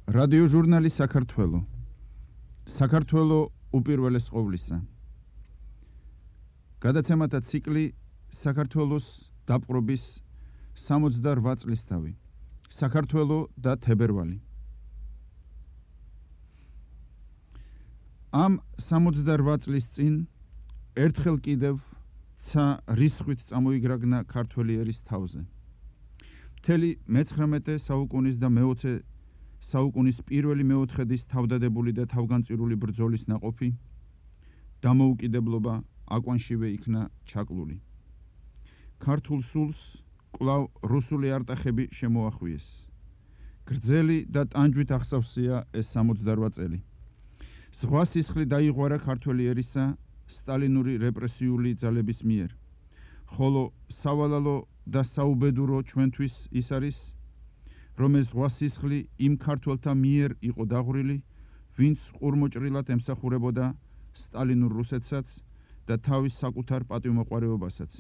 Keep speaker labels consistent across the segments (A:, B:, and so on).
A: რადიოჟურნალი საქართველო. საქართველო უპირველეს ყოვლისა. გადაცემათა ციკლი საქართველოს დაპყრობის 68 წლისთავი. საქართველო და თებერვალი. ამ 68 წლის წინ ერთხელ კიდევ ცა რისხვით წამოიგრაგნა ქართველი ერის თავზე. მთელი მე-19 საუკუნის და მე-20 საუკუნის პირველი მეოთხედის თავდადებული და თავგანწირული ბრძოლის ნაყოფი დამოუკიდებლობა აკვანშივე იქნა ჩაკლული. ქართულ სულს კვლავ რუსული არტახები შემოახვიეს. გრძელი და ტანჯვით ახსავსია ეს 68 წელი. ზღვა სისხლი დაიღვარა ქართველი ერისა სტალინური რეპრესიული ძალების მიერ, ხოლო სავალალო და საუბედურო ჩვენთვის ის არის, რომ ეს ზღვა სისხლი იმ ქართველთა მიერ იყო დაღვრილი, ვინც ყურმოჭრილად ემსახურებოდა სტალინურ რუსეთსაც და თავის საკუთარ პატივმოყვარეობასაც.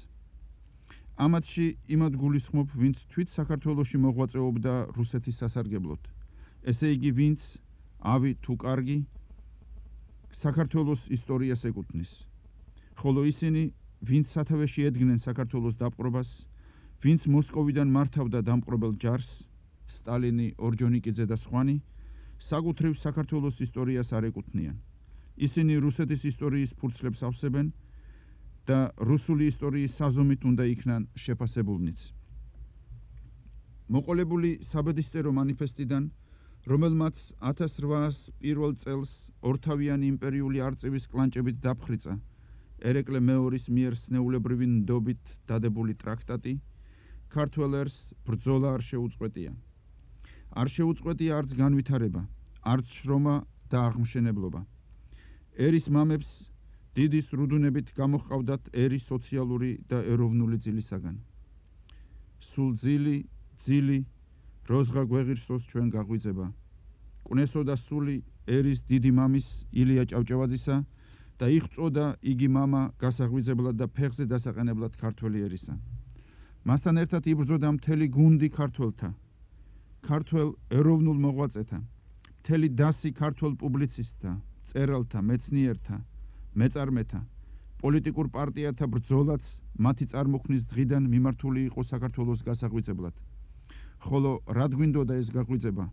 A: ამათში იმად გულისხმობ, ვინც თვით საქართველოში მოღვაწეობდა რუსეთის სასარგებლოდ, ესე იგი ვინც ავი თუ კარგი საქართველოს ისტორიას ეკუთვნის, ხოლო ისინი, ვინც სათავეში ედგნენ საქართველოს დაპყრობას, ვინც მოსკოვიდან მართავდა დამპყრობელ ჯარს, სტალინი, ორჯონიკიძე და სხვანი, საკუთრივ საქართველოს ისტორიას არ ეკუთვნიან. ისინი რუსეთის ისტორიის ფურცლებს ავსებენ და რუსული ისტორიის საზომით უნდა იქნან შეფასებულნიც. მოყოლებული საბედისწერო მანიფესტიდან, რომელმაც 1801 წელს ორთავიანი იმპერიული არწივის კლანჭებით დაფხრიცა ერეკლე მეორის მიერ სნეულებრივი ნდობით დადებული ტრაქტატი, ქართველ ერს ბრძოლა არ შეუწყვეტია. არ შეუწყვეტია არც განვითარება, არც შრომა და აღმშენებლობა. ერის მამებს დიდი სრუდუნებით გამოჰყავდათ ერის სოციალური და ეროვნული ძილისაგან. სულ ძილი, როზღა გვეღირსოს ჩვენ გაღვიძება. კვნესოდა სული ერის დიდი მამის ილია ჭავჭავაძისა და იღწოდა იგი მამა გასაღვიძებლად და ფეხზე დასაყენებლად ქართველი ერისა. მასთან ერთად იბრძოდა მთელი გუნდი ქართველთა, ქართველ ეროვნულ მოღვაწეთა, მთელი დასი ქართველ პუბლიცისტთა, მწერალთა, მეცნიერთა, მეწარმეთა, პოლიტიკურ პარტიათა ბრძოლაც მათი წარმოქმნის დღიდან მიმართული იყო საქართველოს გასაღვიძებლად. ხოლო რად გვინდოდა ეს გაღვიძება?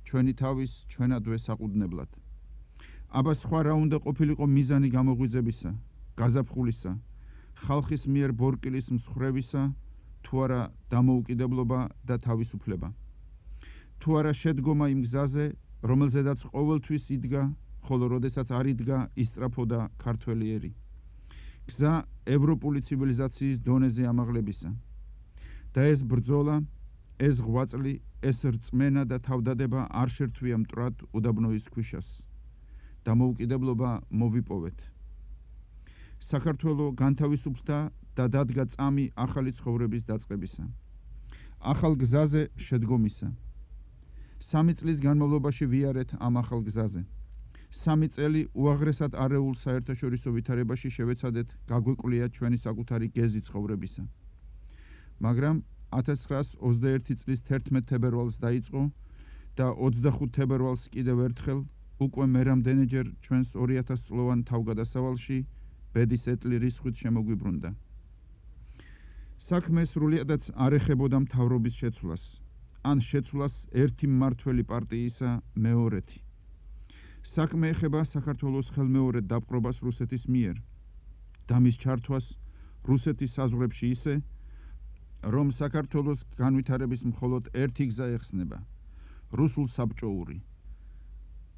A: ჩვენი თავის ჩვენადვე საყუდნებლად. აბა სხვა რა უნდა ყოფილიყო მიზანი გამოღვიძებისა, გაზაფხულისა, ხალხის მიერ ბორკილის მსხრევისა, თუ არა დამოუკიდებლობა და თავისუფლება. თუ არა შედგომა იმ გზაზე, რომელზედაც ყოველთვის იდგა, ხოლო როდესაც არ იდგა, ისწრაფოდა ქართველი ერი. გზა ევროპული ცივილიზაციის დონეზე ამაღლებისა. და ეს ბრძოლა, ეს ღვაწლი, ეს რწმენა და თავდადება არ შერთვია მტრად უდაბნოის ქვიშას. დამოუკიდებლობა მოვიპოვეთ. საქართველო განთავისუფლდა და დადგა წამი ახალი ცხოვრების დაწყებისა. ახალ გზაზე შედგომისა. 3 წლის განმავლობაში ვიარეთ ამ ახალ გზაზე. 3 წელი უაღრესად არეულ საერთაშორისო ვითარებაში შევეცადეთ გაგვეკვლიათ ჩვენი საკუთარი გეზი ცხოვრებისა. მაგრამ 1921 წლის 11 თებერვალს დაიწყო და 25 თებერვალს კიდევ ერთხელ უკვე მერამდენეჯერ ჩვენს 2000 წლოვან თავგადასავალში ბედის ეტლი რისხვით შემოგვიბრუნდა. საქმე სრულიადაც არ ეხებოდა მთავრობის შეცვლას, ან შეცვლას ერთი მმართველი პარტიისა მეორეთი. საქმე ეხება საქართველოს ხელმეორედ დაპყრობას რუსეთის მიერ და მის ჩართვას რუსეთის საზღვრებში ისე, რომ საქართველოს განვითარების მხოლოდ ერთი გზა ეხსნება, რუსულ-საბჭოური,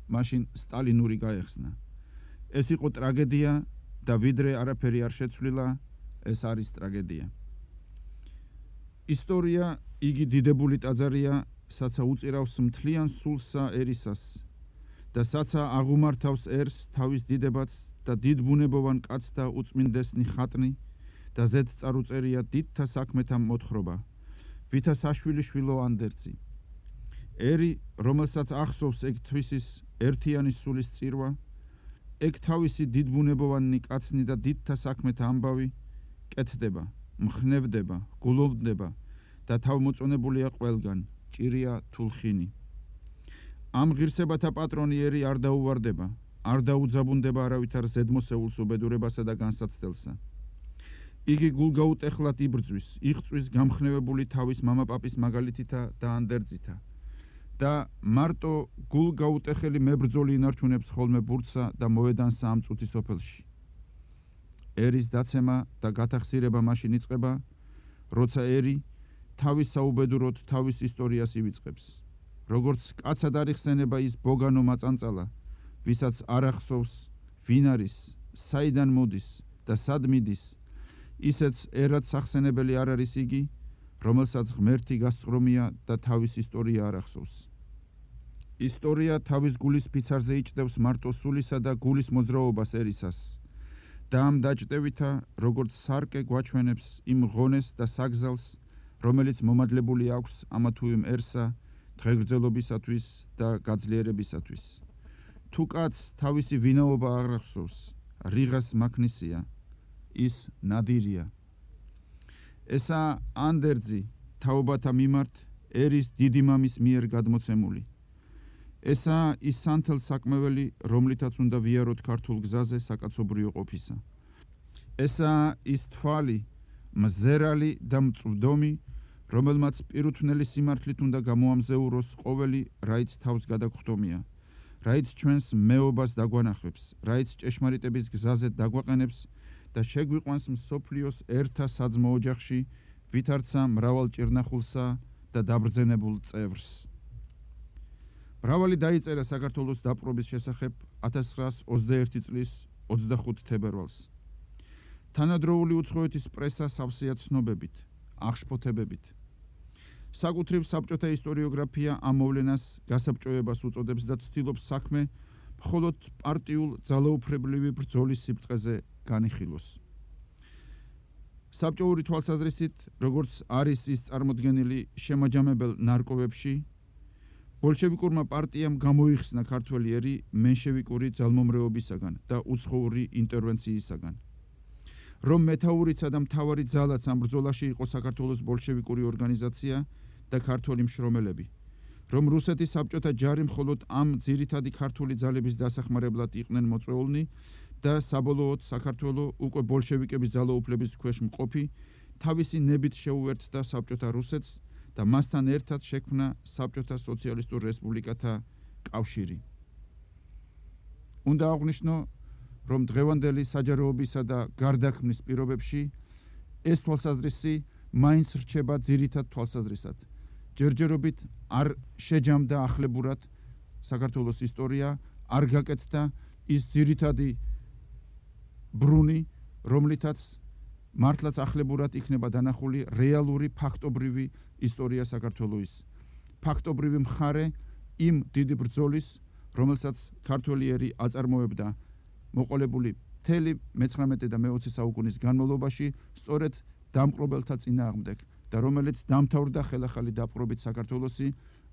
A: მაშინ სტალინური გაეხსნა. ეს იყო ტრაგედია და ვიდრე არაფერი არ შეცვლილა, ეს არის ტრაგედია. ისტორია იგი დიდებული ტაძარია, საცა უწირავს მთლიან სულსა ერისას და საცა აღუმართავს ერს თავის დიდებაც და დიდბუნებოვან კაცთა უწმინდესნი ხატნი და ზედ წარუწერია დიდთა საქმეთა მოთხრობა, ვითა საშვილიშვილო ანდერძი. ერი, რომელსაც ახსოვს ეგ თვისის ერთიანი სულის წირვა, ეგ თავისი დიდბუნებოვანი კაცნი და დიდთა საქმეთა ამბავი კეთდება, მხნევდება, გულოვდება და თავმოწონებულია ყველგან, ჭირია თულხინი. ამ ღირსებათა პატრონი ერი არ დაუვარდება, არ დაუძაბუნდება არავითარ ზედმოსეულს უბედურებასა და განსაცდელსა. იგი გულგაუტეხლად იბრძვის, იღწვის გამხნევებული თავის მამაპაპის მაგალითითა და ანდერძითა და მარტო გულგაუტეხელი მებრძოლი ინარჩუნებს ხოლმე ბურთსა და მოედანსა ამ წუთის სოფელში. ერის დაცემა და გათახსირება მაშინ იწყება, როცა ერი თავის საუბედუროდ თავის ისტორიას ივიწყებს. როგორც კაცად არ იხსენება ის ბოგანო მაწანწალა, ვისაც არ ახსოვს, ვინ არის, საიდან მოდის და სად მიდის, ისეც ერად სახსენებელი არ არის იგი, რომელსაც ღმერთი გასწრომია და თავის ისტორია არ ახსოვს. ისტორია თავის გულის ფიცარზე იჭდევს მარტო სულისა და გულის მოძრაობას ერისას და ამ დაჭდევითა, როგორც სარკე გვაჩვენებს იმ ღონეს და საგზალს, რომელიც მომადლებული აქვს ამა თუ იმერსა, დღეგრძელობისათვის და გაძლიერებისათვის. თუ კაცს თავისი ვინაობა არ ახსოვს, რიღას მაქნისია, ის ნადირია. ესაა ანდერძი თაობათა მიმართ ერის დიდი მამის მიერ გადმოცემული. ესაა ის სანთელ-საკმეველი, რომლითაც უნდა ვიაროთ ქართულ გზაზე საკაცობრიო ყოფისა. ესაა ის თვალი, მზერალი და მწვდომი, რომელმაც პირუთვნელი სიმართლით უნდა გამოამზეუროს ყოველი, რაიც თავს გადაგხვდომია, რაიც ჩვენს მეობას დაგვანახებს, რაიც ჭეშმარიტების გზაზე დაგვაყენებს და შეგვიყვანს მსოფლიოს ერთა საძმო ოჯახში, ვითარცა მრავალ ჭირნახულსა და დაბრძენებულ წევრს. მრავალი დაიწერა საქართველოს დაპყრობის შესახებ 1921 წლის 25 თებერვალს. თანადროული უცხოეთის პრესა სავსეა ცნობებით, აღშფოთებებით. საკუთრივ საბჭოთა ისტორიოგრაფია ამ მოვლენას გასაბჭოებას უწოდებს და ცდილობს საქმე მხოლოდ პარტიულ ძალაუფლებრივი ბრძოლის სიბტყეზე განიხილოს. საბჭოური თვალსაზრისით, როგორც არის ის წარმოდგენილი შემაჯამებელ ნარკოვებში, ბოლშევიკურმა პარტიამ გამოიხსნა ქართველი ერი მენშევიკური ძალმომრეობისაგან და უცხოური ინტერვენციისაგან. რომ მეთაურიცა და მთავარი ძალაც ამ ბრძოლაში იყო საქართველოს ბოლშევიკური ორგანიზაცია და ქართველი მშრომელები, რომ რუსეთის საბჭოთა ჯარი მხოლოდ ამ ძირითადი ქართული ძალების დასახმარებლად იყვნენ მოწვეულნი და საბოლოოდ საქართველო უკვე ბოლშევიკების ძალაუფლების ქვეშ მყოფი, თავისი ნებით შეუერთდა საბჭოთა რუსეთს და მასთან ერთად შექმნა საბჭოთა სოციალისტურ რესპუბლიკათა კავშირი. უნდა აღვნიშნო, რომ დღევანდელი საჯაროობისა და გარდაქმნის პირობებში ეს თვალსაზრისი მაინც რჩება ძირითად თვალსაზრისად. ჯერჯერობით არ შეჯამდა ახლებურად საქართველოს ისტორია, არ გაკეთდა ის ძირითადი ბრუნი, რომლითაც მართლაც ახლებურად იქნება დანახული რეალური ფაქტობრივი ისტორია საქართველოს. ფაქტობრივი მხარე იმ დიდი ბრძოლის, რომელსაც ქართველი ერი აწარმოებდა მოყოლებული მთელი მე-19 და მე-20 საუკუნის განმავლობაში, სწორედ დამპყრობელთა წინააღმდეგ და რომელიც დამთავრდა ხელახალი დაპყრობით საქართველოსი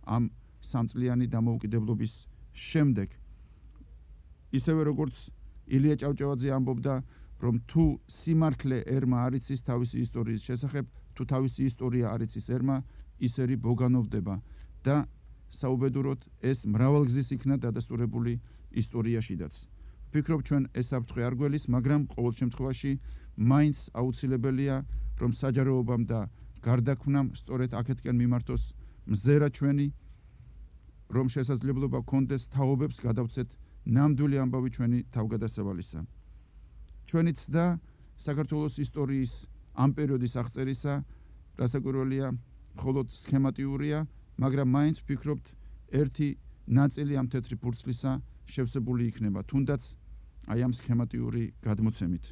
A: ამ სამწლიანი დამოუკიდებლობის შემდეგ. ისევე როგორც ილია ჭავჭავაძე ამბობდა, რომ თუ სიმართლე ერმა არ იცის თავისი ისტორიის შესახებ, თუ თავისი ისტორია არ იცის ერმა, ის ერი ბოგანოვდება და საუბედუროდ ეს მრავალგზის იქნა დადასტურებული ისტორიაშიდაც. ვფიქრობ, ჩვენ ეს საფრთხე არ გველის, მაგრამ ყოველ შემთხვევაში მაინც აუცილებელია, რომ საჯაროობამ და გარდაქმნამ სწორედ აქეთკენ მიმართოს მზერა ჩვენი, რომ შესაძლებლობა გქონდეს თაობებს გადავცეთ ნამდვილი ამბავი ჩვენი თავგადასავალისა. ჩვენი ცდა საქართველოს ისტორიის ამ პერიოდის აღწერისა, რასაკვირველია, მხოლოდ სქემატიურია, მაგრამ მაინც ვფიქრობთ, ერთი ნაწილი ამ თეთრი ფურცლისა შევსებული იქნება, თუნდაც აი ამ სქემატიური გადმოცემით.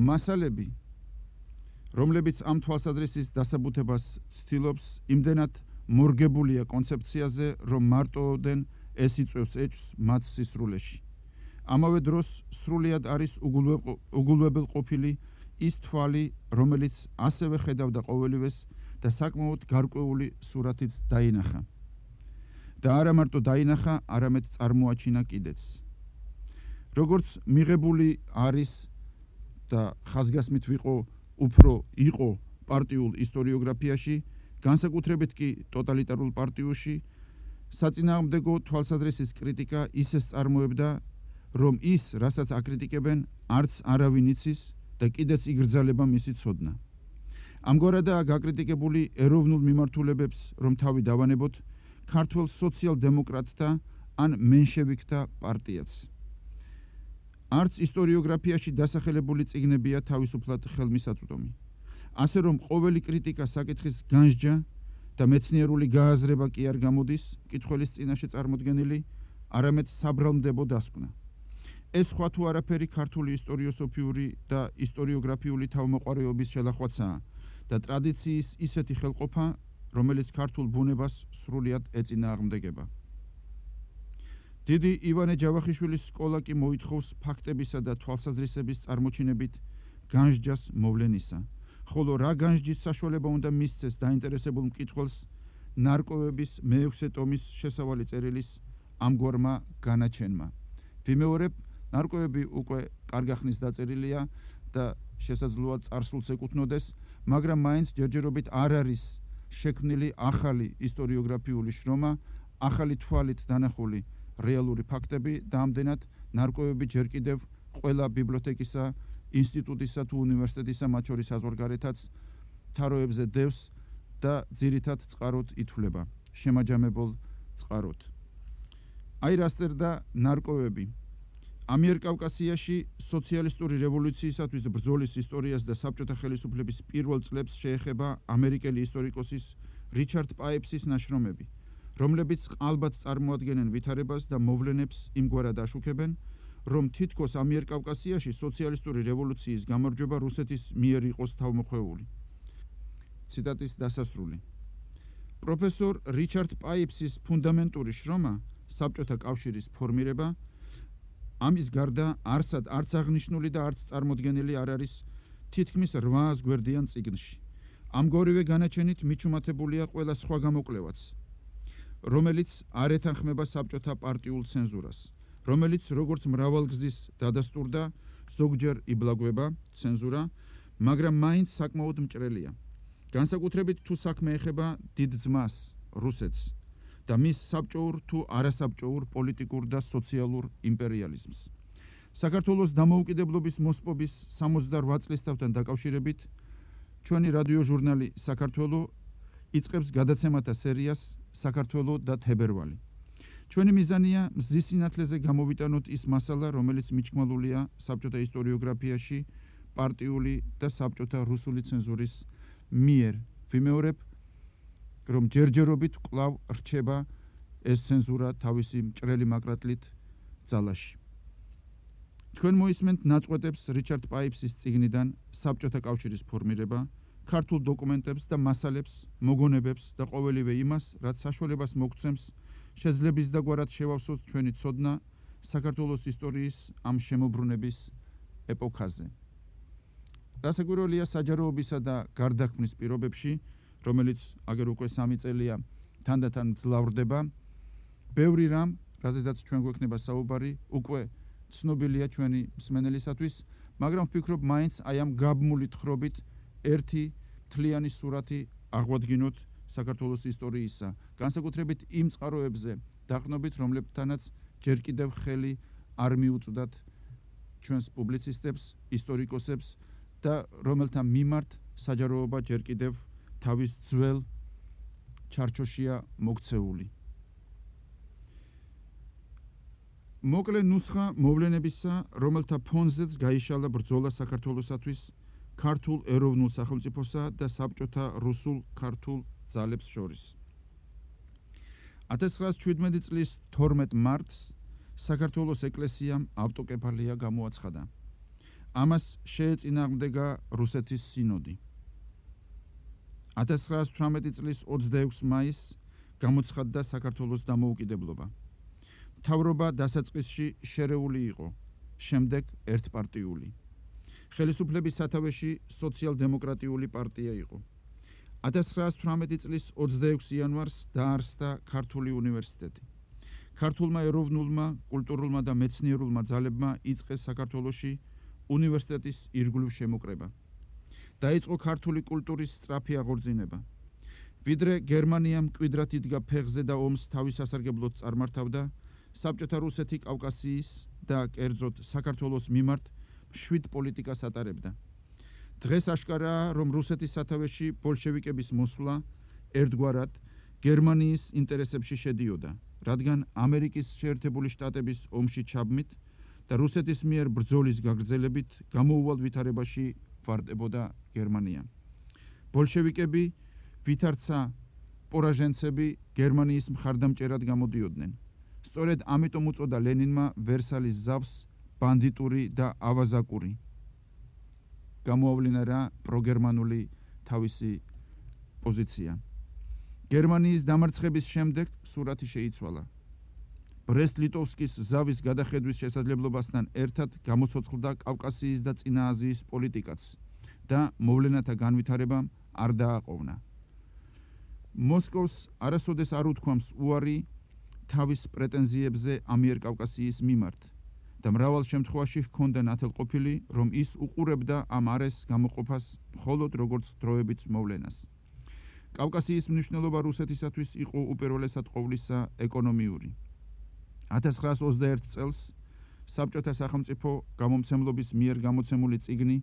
A: მასალები, რომლებიც ამ თვალსაზრისის დასაბუთებას ცდილობს, იმდენად მორგებულია კონცეფციაზე, რომ მარტოოდენ ეს იწვევს ეჭვს მათ სისრულეში. ამავე დროს სრულიად არის უგულვებელყოფილი ის თვალი, რომელიც ასევე ხედავდა ყოველივეს და საკმაოდ გარკვეული სურათიც დაინახა. და არა მარტო დაინახა, არამედ წარმოაჩინა კიდეც. როგორც მიღებული არის და ხაზგასმით იყო პარტიულ ისტორიოგრაფიაში, განსაკუთრებით კი ტოტალიტარულ პარტიულში საწინააღმდეგო თვალსაზრისის კრიტიკა ისეს წარმოებდა, რომ ის, რასაც აკრიტიკებენ, არც არავინ იცის და კიდეც იგრძალება მისი ცოდნა. ამგვარადაა გაკრიტიკებული ეროვნულ მიმართულებებს, რომ თავი დავანებოთ ქართველ სოციალ-დემოკრატთა ან მენშევიკთა პარტიაც. არც ისტორიოგრაფიაში დასახელებული წიგნებია თავისუფლად ხელმისაწვდომი. ასე რომ ყოველი კრიტიკა საკითხის განსჯა და მეცნიერული გააზრება კი არ გამოდის მკითხველის წინაშე წარმოდგენილი, არამედ საბრალმდებო დასკვნა. ეს სხვა თუ არაფერი ქართული ისტორიოსოფიური და ისტორიოგრაფიული თავმოყარეობის შელახვაცაა და ტრადიციის ისეთი ხელყოფა, რომელიც ქართულ ბუნებას სრულიად ეწინააღმდეგება. დიდი ივანე ჯავახიშვილის სკოლა კი მოითხოვს ფაქტებისა და თვალსაზრისების წარმოჩინებით განსჯას მოვლენისა, ხოლო რა განსჯის საშუალება უნდა მისცეს დაინტერესებულ მკითხველს ნარკვევების მე-6 ტომის შესავალი წერილის ამგვარმა განაჩენმა. ვიმეორებ, ნარკვევები უკვე კარგა ხნის დაწერილია და შესაძლოა წარსულს ეკუთვნოდეს, მაგრამ მაინც ჯერჯერობით არ არის შექმნილი ახალი ისტორიოგრაფიული შრომა, ახალი თვალით დანახული რეალური ფაქტები და ამდენად ნარკვევები ჯერ კიდევ ყველა ბიბლიოთეკისა, ინსტიტუტისა თუ უნივერსიტეტისა, მათ შორის საზღვარგარეთაც თაროებზე დევს და ძირითად წყაროდ ითვლება, შემაჯამებულ წყაროდ. აი რას წერდა ნარკვევები. ამიერკავკასიაში სოციალისტური რევოლუციისათვის ბრძოლის ისტორიას და საბჭოთა ხელისუფლების პირველ წლებს შეეხება ამერიკელი ისტორიკოსის რიჩარდ პაიფსის ნაშრომები, რომლებიც ალბათ წარმოადგენენ ვითარებას და მოვლენებს იმგვარად აშუქებენ, რომ თითქოს ამიერკავკასიაში სოციალისტური რევოლუციის გამარჯვება რუსეთის მიერ იყოს თავმოხვეული. ციტატის დასასრული. პროფესორ რიჩარდ პაიფსის ფუნდამენტური შრომა საბჭოთა კავშირის ფორმირება ამის გარდა არც აღნიშნული და არც წარმოდგენილი არ არის თითქმის 800 გვერდიან წიგნში. ამგვარივე განაჩენით მიჩუმათებულია ყველა სხვა გამოკვლევაც, რომელიც არ ეთანხმება საბჭოთა პარტიულ ცენზურას, რომელიც როგორც მრავალგზის დადასტურდა, ზოგჯერ იბლაგვება ცენზურა, მაგრამ მაინც საკმაოდ მჭრელია. განსაკუთრებით თუ საქმე ეხება დიდ ძმას, რუსეთს და მის საბჭოურ თუ არასაბჭოურ პოლიტიკურ და სოციალურ იმპერიალიზმს. საქართველოს დამოუკიდებლობის მოსპობის 68 წლისთავთან დაკავშირებით ჩვენი რადიო ჟურნალი საქართველო იწყებს გადაცემათა სერიას საქართველო და თებერვალი. ჩვენი მიზანია მზის სინათლეზე გამოვიტანოთ ის მასალა, რომელიც მიჩქმალულია საბჭოთა ისტორიოგრაფიაში პარტიული და საბჭოთა რუსული ცენზურის მიერ. ვიმეორებ, რომ ჯერჯერობით კვლავ რჩება ეს ცენზურა თავისი მჭრელი მაკრატლით ძალაში. თქვენ მოისმენთ ნაწყვეტებს რიჩარდ პაიფსის წიგნიდან საბჭოთა კავშირის ფორმირება, ქართულ დოკუმენტებს და მასალებს, მოგონებებს და ყოველივე იმას, რაც საშუალებას მოგცემს შეძლების დაგვარად შევავსოთ ჩვენი ცოდნა საქართველოს ისტორიის ამ შემოbrunების ეპოქაზე. დასაკვირველია საჯაროობისა და გარდაქმნის პირობებში, რომელიც აგერ უკვე 3 წელია თანდათან ძლავრდება, ბევრი რამ, რაზედაც ჩვენ გვექნება საუბარი, უკვე ცნობილია ჩვენი მსმენელისათვის, მაგრამ ვფიქრობ, მაინც აი ამ გაბმული თხრობით ერთი მთლიანი სურათი აღვადგინოთ საქართველოს ისტორიისა, განსაკუთრებით იმ წყაროებზე დაყრდნობით, რომლებთანაც ჯერ კიდევ ხელი არ მიუწვდათ ჩვენს პუბლიცისტებს, ისტორიკოსებს და რომელთა მიმართ საჯაროობა ჯერ კიდევ თავის ძველ ჩარჩოშია მოქცეული. მოკლე ნუსხა მოვლენებისა, რომელთა ფონზეც გაიშალა ბრძოლა საქართველოსათვის ქართულ ეროვნულ სახელმწიფოსა და საბჭოთა რუსულ ქართულ ძალებს შორის. 1917 წლის 12 მარტს საქართველოს ეკლესიამ ავტოკეფალია გამოაცხადა. ამას შეეწინააღმდეგა რუსეთის სინოდი. 1918 წლის 26 მაისს გამოცხადდა საქართველოს დამოუკიდებლობა. მთავრობა დასაწყისში შერეული იყო, შემდეგ ერთპარტიული. ხელისუფლების სათავეში სოციალ-დემოკრატიული პარტია იყო. 1918 წლის 26 იანვარს დაარსდა ქართული უნივერსიტეტი. ქართულმა ეროვნულმა, კულტურულმა და მეცნიერულმა ძალებმა იწყეს საქართველოში უნივერსიტეტის ირგვლივ შემოკრება. დაიწყო ქართული კულტურის სწრაფი აღორძინება. ვიდრე გერმანიამ მკვიდრად იდგა ფეხზე და ომს თავის სასარგებლოდ წარმართავდა, საბჭოთა რუსეთი კავკასიის და კერძოდ საქართველოს მიმართ მშვიდ პოლიტიკას ატარებდა. დღეს აშკარაა, რომ რუსეთის სათავეში ბოლშევიკების მოსვლა ერთგვარად გერმანიის ინტერესებში შედიოდა, რადგან ამერიკის შეერთებული შტატების ომში ჩაბმით და რუსეთის მიერ ბრძოლის გაგრძელებით გამოუვალ ვითარებაში ვარდებოდა გერმანია. ბოლშევიკები ვითარცა პორაჟენცები გერმანიის მხარდამჭერად გამოდიოდნენ. სწორედ ამიტომ უწოდა ლენინმა ვერსალის ზავს ბანდიტური და ავაზაკური. გამოავლინა რა პროგერმანული თავისი პოზიცია. გერმანიის დამარცხების შემდეგ სურათი შეიცვალა. ბრესტ-ლიტოვსკის ზავის გადახედვის შესაძლებლობასთან ერთად გამოცოცხლდა კავკასიის და წინა აზიის პოლიტიკაც და მოვლენათა განვითარებამ არ დააყოვნა. მოსკოვს არასოდეს არ უთქვამს უარი თავის პრეტენზიებზე ამიერკავკასიის მიმართ და მრავალ შემთხვევაში ჰქონდა ნათელყოფილი, რომ ის უყურებდა ამ არეს გამოყოფას მხოლოდ როგორც დროებით მოვლენას. კავკასიის მნიშვნელობა რუსეთისათვის იყო უპირველესად ყოვლისა ეკონომიური. 1921 წელს საბჭოთა სახელმწიფო გამომცემლობის მიერ გამოცემული წიგნი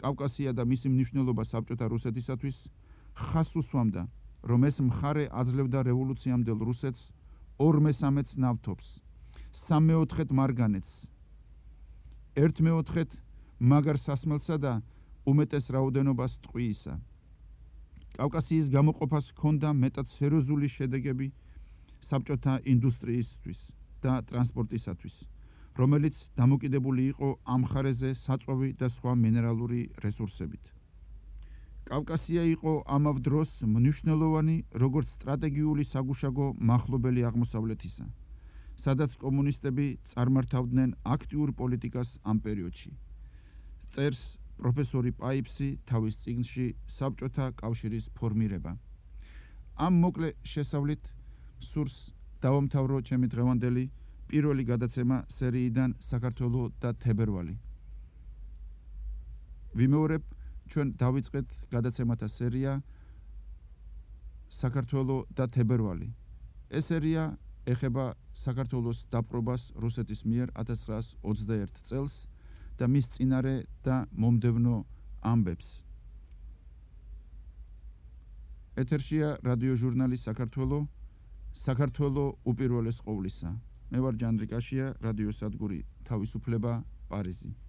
A: კავკასია და მისი მნიშვნელობა საბჭოთა რუსეთისათვის ხაზს უსვამდა, რომ ეს მხარე აძლევდა რევოლუციამდელ რუსეთს 2/3 ნავთობს, 3/4 მარგანეცს, 1/4 მაგარ სასმელსა და უმეტეს რაოდენობას ტყვიისა. კავკასიის გამოყოფას ჰქონდა მეტად სერიოზული შედეგები საბჭოთა ინდუსტრიისთვის და ტრანსპორტისათვის, რომელიც დამოკიდებული იყო ამ მხარეზე საწვავი და სხვა მინერალური რესურსებით. კავკასია იყო ამავ დროს მნიშვნელოვანი როგორც სტრატეგიული საგუშაგო მახლობელი აღმოსავლეთისა, სადაც კომუნისტები წარმართავდნენ აქტიურ პოლიტიკას ამ პერიოდში. წერს პროფესორი პაიფსი თავის წიგნში საბჭოთა კავშირის ფორმირება. ამ მოკლე შესავლით სურს დავამთავრო ჩემი დღევანდელი პირველი გადაცემა სერიიდან საქართველო და თებერვალი. ვიმეორებ, ჩვენ დავიწყეთ გადაცემათა სერია საქართველო და თებერვალი. ეს სერია ეხება საქართველოს დაპყრობას რუსეთის მიერ 1921 წელს და მის წინარე და მომდევნო ამბებს. ეთერშია რადიო ჟურნალი საქართველო, საქართველო უპირველეს ყოვლისა. მე ვარ ჯანდრიკაშია, რადიო სადგური თავისუფლება, პარიზი.